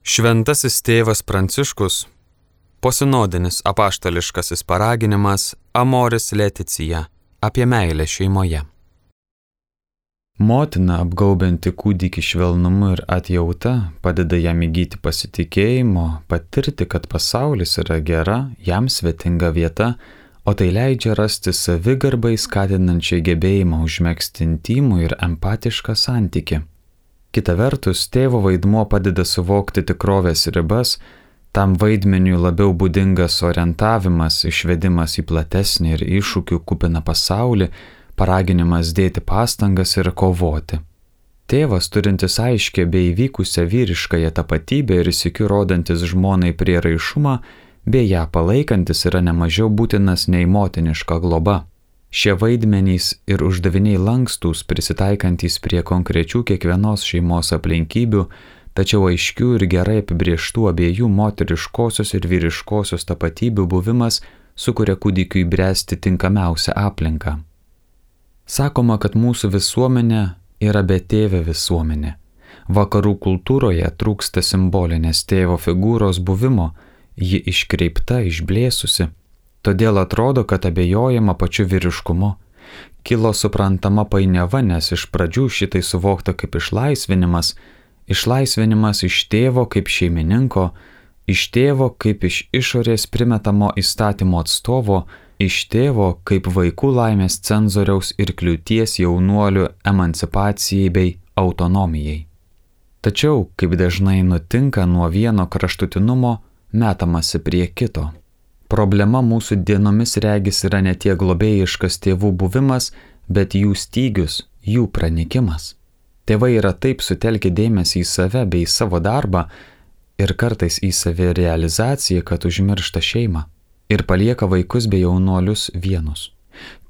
Šventasis tėvas Pranciškus, posinodinis apaštališkasis paraginimas Amoris Laetitia apie meilę šeimoje. Motina apgaubianti kūdikį švelnumu ir atjauta padeda jam įgyti pasitikėjimo, patirti, kad pasaulis yra gera, jam svetinga vieta, o tai leidžia rasti savigarbai skatinančią gebėjimą užmegzti intymų ir empatišką santykį. Kita vertus, tėvo vaidmuo padeda suvokti tikrovės ribas, tam vaidmeniui labiau būdingas orientavimas, išvedimas į platesnį ir iššūkių kupiną pasaulį, paraginimas dėti pastangas ir kovoti. Tėvas, turintis aiškę bei įvykusią vyriškąją tapatybę ir sykiu rodantis žmonai prieraišumą, bei ją palaikantis yra nemažiau būtinas nei motiniška globa. Šie vaidmenys ir uždaviniai lankstūs, prisitaikantys prie konkrečių kiekvienos šeimos aplinkybių, tačiau aiškių ir gerai apibrieštų abiejų moteriškosios ir vyriškosios tapatybių buvimas sukuria kūdikiui bręsti tinkamiausią aplinką. Sakoma, kad mūsų visuomenė yra betėvė visuomenė. Vakarų kultūroje trūksta simbolinės tėvo figūros buvimo, ji iškreipta, išblėsusi. Todėl atrodo, kad abejojama pačiu vyriškumu. Kilo suprantama painiava, nes iš pradžių šitai suvokta kaip išlaisvinimas iš tėvo kaip šeimininko, iš tėvo kaip iš išorės primetamo įstatymo atstovo, iš tėvo kaip vaikų laimės cenzoriaus ir kliūties jaunuolių emancipacijai bei autonomijai. Tačiau, kaip dažnai nutinka, nuo vieno kraštutinumo metamasi prie kito. Problema mūsų dienomis regis yra ne tiek globėjiškas tėvų buvimas, bet jų stygius, jų pranykimas. Tėvai yra taip sutelkę dėmesį į save bei savo darbą ir kartais į savirealizaciją, kad užmiršta šeimą ir palieka vaikus bei jaunuolius vienus.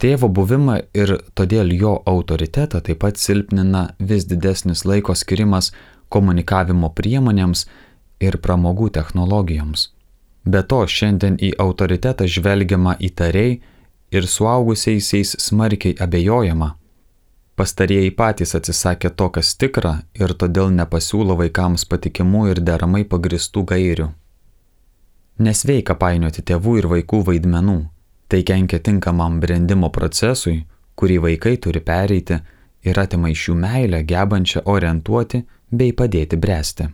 Tėvo buvimą ir todėl jo autoritetą taip pat silpnina vis didesnis laiko skirimas komunikavimo priemonėms ir pramogų technologijoms. Be to, šiandien į autoritetą žvelgiama įtariai ir suaugusiaisiais smarkiai abejojama. Pastarieji patys atsisakė to, kas tikra, ir todėl nepasiūlo vaikams patikimų ir deramai pagristų gairių. Nesveika painioti tėvų ir vaikų vaidmenų. Tai kenkia tinkamam brendimo procesui, kurį vaikai turi pereiti, ir atima iš jų meilę, gebančią orientuoti bei padėti bręsti.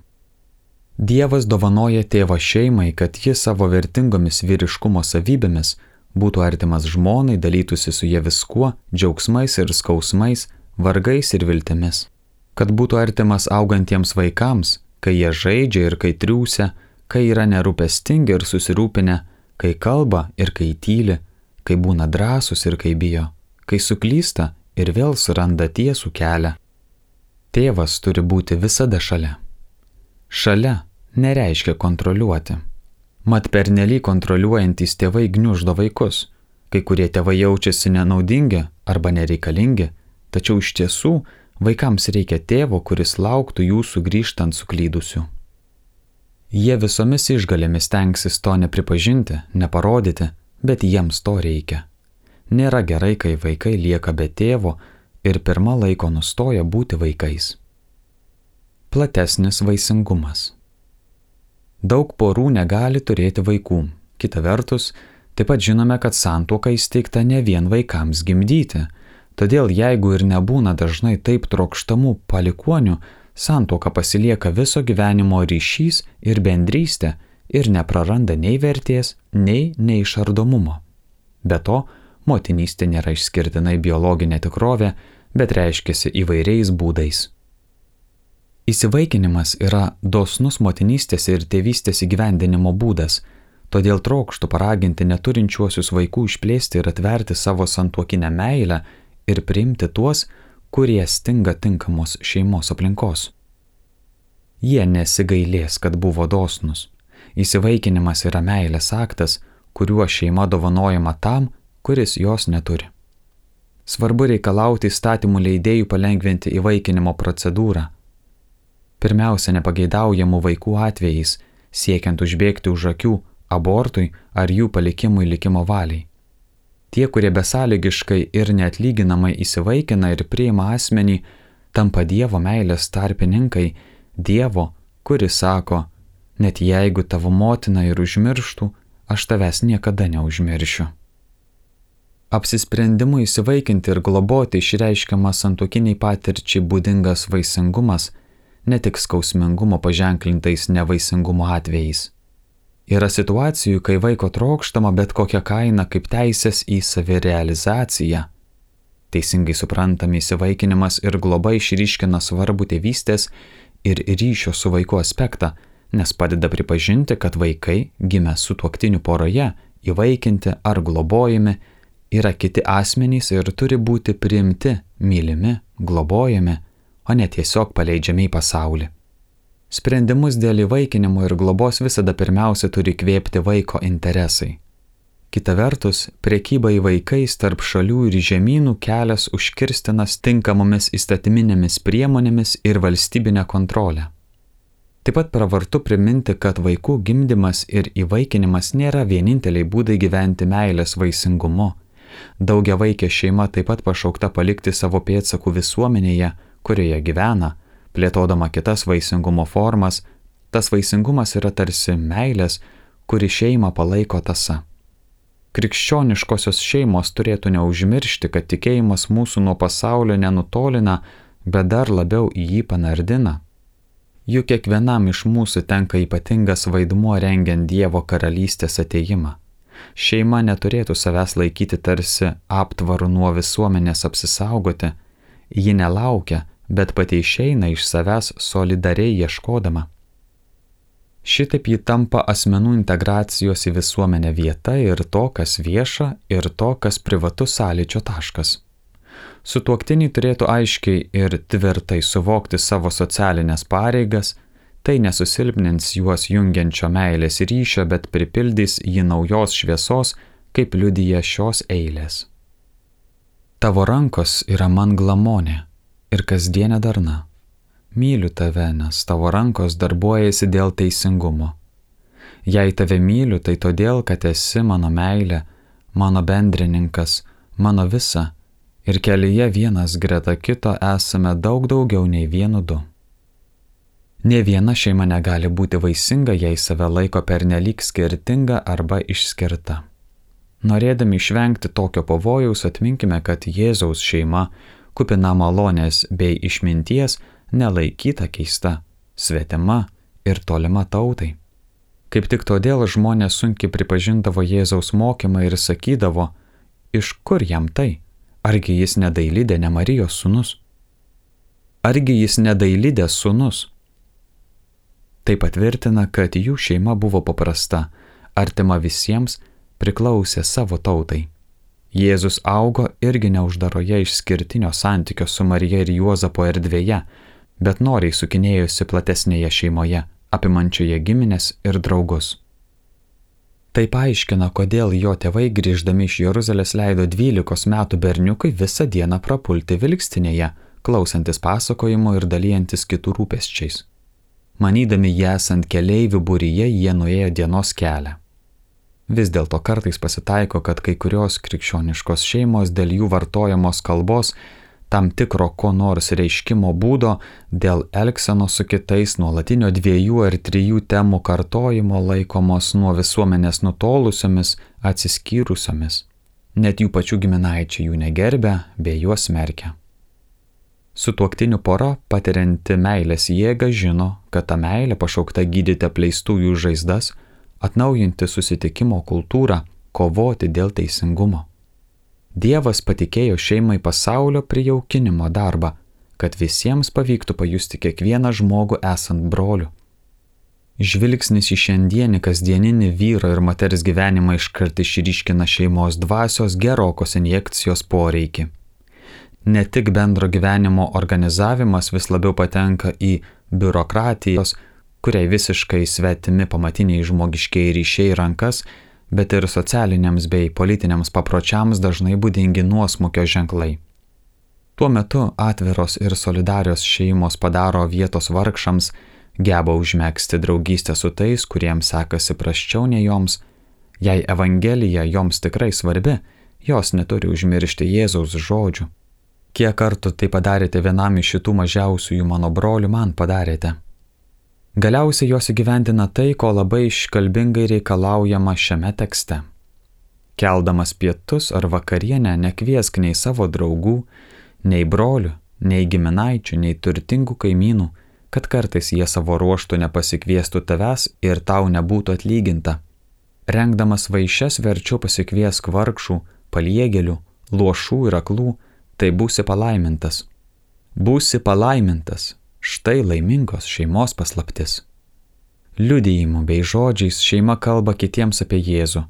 Dievas dovanoja tėvą šeimai, kad jis savo vertingomis vyriškumo savybėmis būtų artimas žmonai, dalytųsi su ja viskuo, džiaugsmais ir skausmais, vargais ir viltimis. Kad būtų artimas augantiems vaikams, kai jie žaidžia ir kai triūsia, kai yra nerūpestingi ir susirūpinę, kai kalba ir kai tyli, kai būna drąsūs ir kai bijo, kai suklysta ir vėl suranda tiesų kelią. Tėvas turi būti visada šalia. Šalia nereiškia kontroliuoti. Mat pernelyg kontroliuojantys tėvai gniuždo vaikus. Kai kurie tėvai jaučiasi nenaudingi arba nereikalingi, tačiau iš tiesų vaikams reikia tėvo, kuris lauktų jų sugrįžtant suklydusių. Jie visomis išgalėmis stengsis to nepripažinti, neparodyti, bet jiems to reikia. Nėra gerai, kai vaikai lieka be tėvo ir pirma laiko nustoja būti vaikais. Platesnis vaisingumas. Daug porų negali turėti vaikų. Kita vertus, taip pat žinome, kad santuoka įsteigta ne vien vaikams gimdyti. Todėl jeigu ir nebūna dažnai taip trokštamų palikuonių, santuoka pasilieka viso gyvenimo ryšys ir bendrystė ir nepraranda nei vertės, nei neišardomumo. Be to, motinystė nėra išskirtinai biologinė tikrovė, bet reiškiasi įvairiais būdais. Įsivaikinimas yra dosnus motinystės ir tėvystės įgyvendinimo būdas, todėl trokštu paraginti neturinčiuosius vaikų išplėsti ir atverti savo santuokinę meilę ir priimti tuos, kurie stinga tinkamos šeimos aplinkos. Jie nesigailės, kad buvo dosnus. Įsivaikinimas yra meilės aktas, kuriuo šeima dovanojama tam, kuris jos neturi. Svarbu reikalauti įstatymų leidėjų palengvinti įvaikinimo procedūrą. Pirmiausia, nepageidaujamų vaikų atvejais, siekiant užbėgti už akių abortui ar jų palikimui likimo valiai. Tie, kurie besąlygiškai ir neatlyginamai įsivaikina ir priima asmenį, tampa Dievo meilės tarpininkai, Dievo, kuris sako, Net jeigu tavo motina ir užmirštų, aš tavęs niekada neužmiršiu. Apsisprendimu įsivaikinti ir globoti išreiškiamas santuokiniai patirčiai būdingas vaisingumas, ne tik skausmingumo paženklintais nevaisingumo atvejais. Yra situacijų, kai vaiko trokštama bet kokia kaina kaip teisės į savirealizaciją. Teisingai suprantami įsivaikinimas ir globa išryškina svarbų tėvystės ir ryšio su vaiku aspektą, nes padeda pripažinti, kad vaikai, gimę sutuoktinių poroje, įvaikinti ar globojami, yra kiti asmenys ir turi būti priimti, mylimi, globojami, o ne tiesiog paleidžiami į pasaulį. Sprendimus dėl įvaikinimo ir globos visada pirmiausia turi kvėpti vaiko interesai. Kita vertus, prekyba į vaikais tarp šalių ir žemynų kelias užkirstinas tinkamomis įstatyminėmis priemonėmis ir valstybinę kontrolę. Taip pat pravartu priminti, kad vaikų gimdymas ir įvaikinimas nėra vieninteliai būdai gyventi meilės vaisingumu. Daugiavaikė šeima taip pat pašaukta palikti savo pėdsakų visuomenėje, kurioje gyvena, plėtodama kitas vaisingumo formas. Tas vaisingumas yra tarsi meilės, kuri šeimą palaiko tąsa. Krikščioniškosios šeimos turėtų neužmiršti, kad tikėjimas mūsų nuo pasaulio nenutolina, bet dar labiau į jį panardina. Juk kiekvienam iš mūsų tenka ypatingas vaidmuo rengiant Dievo karalystės atėjimą. Šeima neturėtų savęs laikyti tarsi aptvaru nuo visuomenės apsisaugoti. Ji nelaukia, bet pati išeina iš savęs solidariai ieškodama. Šitaip ji tampa asmenų integracijos į visuomenę vieta ir to, kas vieša, ir to, kas privatus sąlyčio taškas. Sutuoktiniai turėtų aiškiai ir tvirtai suvokti savo socialinės pareigas, tai nesusilpnins juos jungiančio meilės ryšio, bet pripildys jį naujos šviesos, kaip liudija šios eilės. Tavo rankos yra man glamonė ir kasdienė darna. Myliu tave, nes tavo rankos darbuojasi dėl teisingumo. Jei tave myliu, tai todėl, kad esi mano meilė, mano bendrininkas, mano visa, ir kelyje vienas greta kito esame daug daugiau nei vienu du. Nė viena šeima negali būti vaisinga, jei save laiko pernelyg skirtinga arba išskirta. Norėdami išvengti tokio pavojaus, atminkime, kad Jėzaus šeima, kupina malonės bei išminties, nelaikyta keista, svetima ir tolima tautai. Kaip tik todėl žmonės sunkiai pripažindavo Jėzaus mokymą ir sakydavo, iš kur jam tai? Argi jis ne Dailidė, ne Marijos sūnus? Argi jis ne Dailidės sūnus? Tai patvirtina, kad jų šeima buvo paprasta, artima visiems, priklausė savo tautai. Jėzus augo irgi neuždaroje išskirtinio santykio su Marija ir Juozapo erdvėje, bet noriai sukinėjosi platesnėje šeimoje, apimančioje giminės ir draugus. Tai paaiškina, kodėl jo tėvai grįždami iš Jeruzalės leido 12 metų berniukui visą dieną prapulti vilkstinėje, klausantis pasakojimo ir dalyjantis kitų rūpesčiais. Manydami jį esant keleivių būryje, jie nuėjo dienos kelią. Vis dėlto kartais pasitaiko, kad kai kurios krikščioniškos šeimos dėl jų vartojamos kalbos, tam tikro ko nors reiškimo būdo, dėl elgsenos su kitais, nuolatinio 2 ar 3 temų kartojimo laikomos nuo visuomenės nutolusiomis, atsiskyrusiomis. Net jų pačių giminaičiai jų negerbia bei juos smerkia. Sutuoktinių pora, patirianti meilės jėgą, žino, kad ta meilė pašaukta gydyti apleistųjų žaizdas, atnaujinti susitikimo kultūrą, kovoti dėl teisingumo. Dievas patikėjo šeimai pasaulio prijaukinimo darbą, kad visiems pavyktų pajusti kiekvieną žmogų esant broliu. Žvilgsnis į šiandienį kasdieninį vyro ir moters gyvenimą iškart išryškina šeimos dvasios gerokos injekcijos poreikį. Ne tik bendro gyvenimo organizavimas vis labiau patenka į biurokratijos, kuriai visiškai svetimi pamatiniai žmogiškiai ryšiai rankas, bet ir socialiniams bei politiniams papročiams dažnai būdingi nuosmukio ženklai. Tuo metu atviros ir solidarios šeimos padaro vietos vargšams, geba užmegzti draugystę su tais, kuriems sekasi prasčiau nei joms. Jei Evangelija joms tikrai svarbi, jos neturi užmiršti Jėzaus žodžių. Kiek kartų tai padarėte vienam iš šitų mažiausiųjų mano brolių, man padarėte. Galiausiai jos įgyvendina tai, ko labai iškalbingai reikalaujama šiame tekste. Keldamas pietus ar vakarienę nekviesk nei savo draugų, nei brolių, nei giminaičių, nei turtingų kaimynų, kad kartais jie savo ruoštų nepasikviestų tavęs ir tau nebūtų atlyginta. Rengdamas vaišes verčiau pasikviesk vargšų, paliegėlių, luošų ir aklų, tai būsi palaimintas. Būsi palaimintas, štai laimingos šeimos paslaptis. Liudijimu bei žodžiais šeima kalba kitiems apie Jėzų,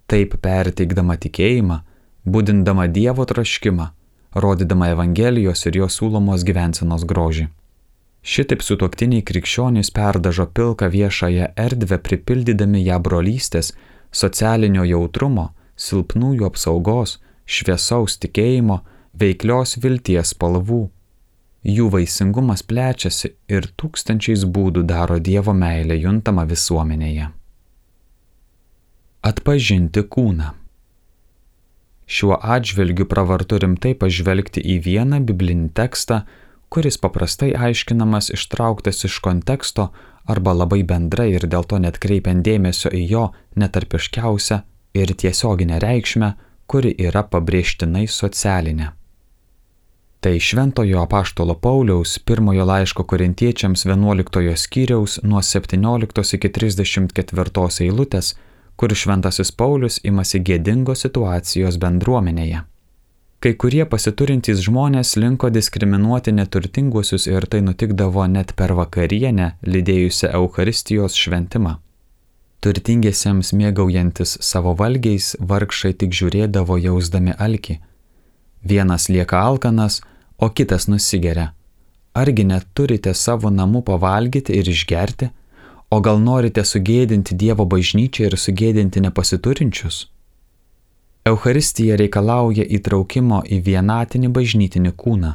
taip perteikdama tikėjimą, būdindama Dievo troškimą, rodydama Evangelijos ir jo siūlomos gyvensenos grožį. Šitaip sutuoktiniai krikščionys perdažo pilką viešąją erdvę, pripildydami ją brolystės, socialinio jautrumo, silpnųjų apsaugos, šviesaus tikėjimo, veiklios vilties spalvų. Jų vaisingumas plečiasi ir tūkstančiais būdų daro Dievo meilę juntamą visuomenėje. Atpažinti kūną. Šiuo atžvilgiu pravartu rimtai pažvelgti į vieną biblinį tekstą, kuris paprastai aiškinamas ištrauktas iš konteksto arba labai bendrai ir dėl to net kreipiant dėmesio į jo netarpiškiausią ir tiesioginę reikšmę, kuri yra pabrėžtinai socialinė. Tai šventojo apaštalo Pauliaus pirmojo laiško korintiečiams 11 skyriaus nuo 17 iki 34 eilutės, kur šventasis Paulius imasi gėdingos situacijos bendruomenėje. Kai kurie pasiturintys žmonės linko diskriminuoti neturtinguosius ir tai nutikdavo net per vakarienę, lydėjusią Eucharistijos šventimą. Turtingiesiems mėgaujantis savo valgiais, vargšai tik žiūrėdavo jausdami alkį. Vienas lieka alkanas, o kitas nusigeria. Argi neturite savo namų pavalgyti ir išgerti? O gal norite sugėdinti Dievo bažnyčią ir sugėdinti nepasiturinčius? Eucharistija reikalauja įtraukimo į vienatinį bažnytinį kūną.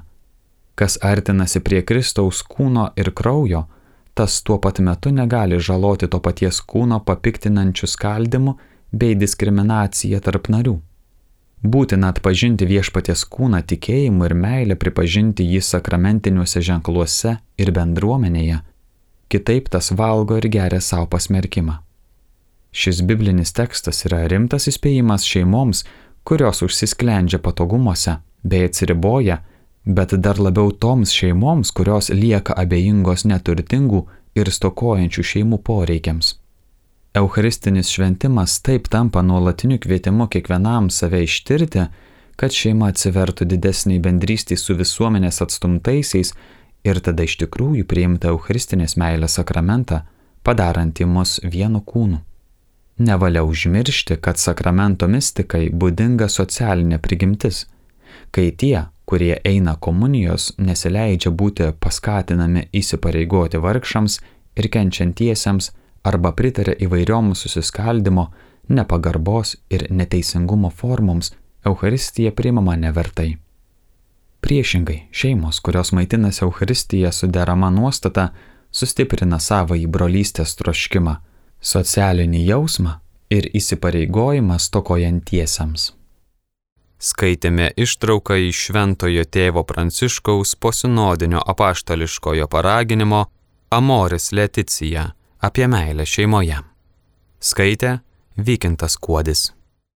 Kas artinasi prie Kristaus kūno ir kraujo, tas tuo pat metu negali žaloti to paties kūno papiktinančių skaldimų bei diskriminaciją tarp narių. Būtina atpažinti viešpaties kūną tikėjimu ir meilę, pripažinti jį sakramentiniuose ženkluose ir bendruomenėje. Kitaip tas valgo ir geria savo pasmerkimą. Šis biblinis tekstas yra rimtas įspėjimas šeimoms, kurios užsisklendžia patogumuose bei atsiriboja, bet dar labiau toms šeimoms, kurios lieka abejingos neturtingų ir stokojančių šeimų poreikiams. Eucharistinis šventimas taip tampa nuolatiniu kvietimu kiekvienam save ištirti, kad šeima atsivertų didesniai bendrystei su visuomenės atstumtaisiais ir tada iš tikrųjų priimta Eucharistinės meilės sakramentą, padarantį mus vienu kūnu. Nevalia užmiršti, kad sakramento mistikai būdinga socialinė prigimtis, kai tie, kurie eina komunijos, nesileidžia būti paskatinami įsipareigoti vargšams ir kenčiantiesiems arba pritaria įvairioms susiskaldimo, nepagarbos ir neteisingumo formoms, Eucharistija priimama nevertai. Priešingai, šeimos, kurios maitinasi Eucharistiją su derama nuostata, sustiprina savąjį brolystės troškimą, socialinį jausmą ir įsipareigojimą stokojantiesiems. Skaitėme ištrauką iš Šventojo tėvo Pranciškaus posinodinio apaštališkojo paraginimo Amoris Laetitia apie meilę šeimoje. Skaitė Vykintas Kuodis.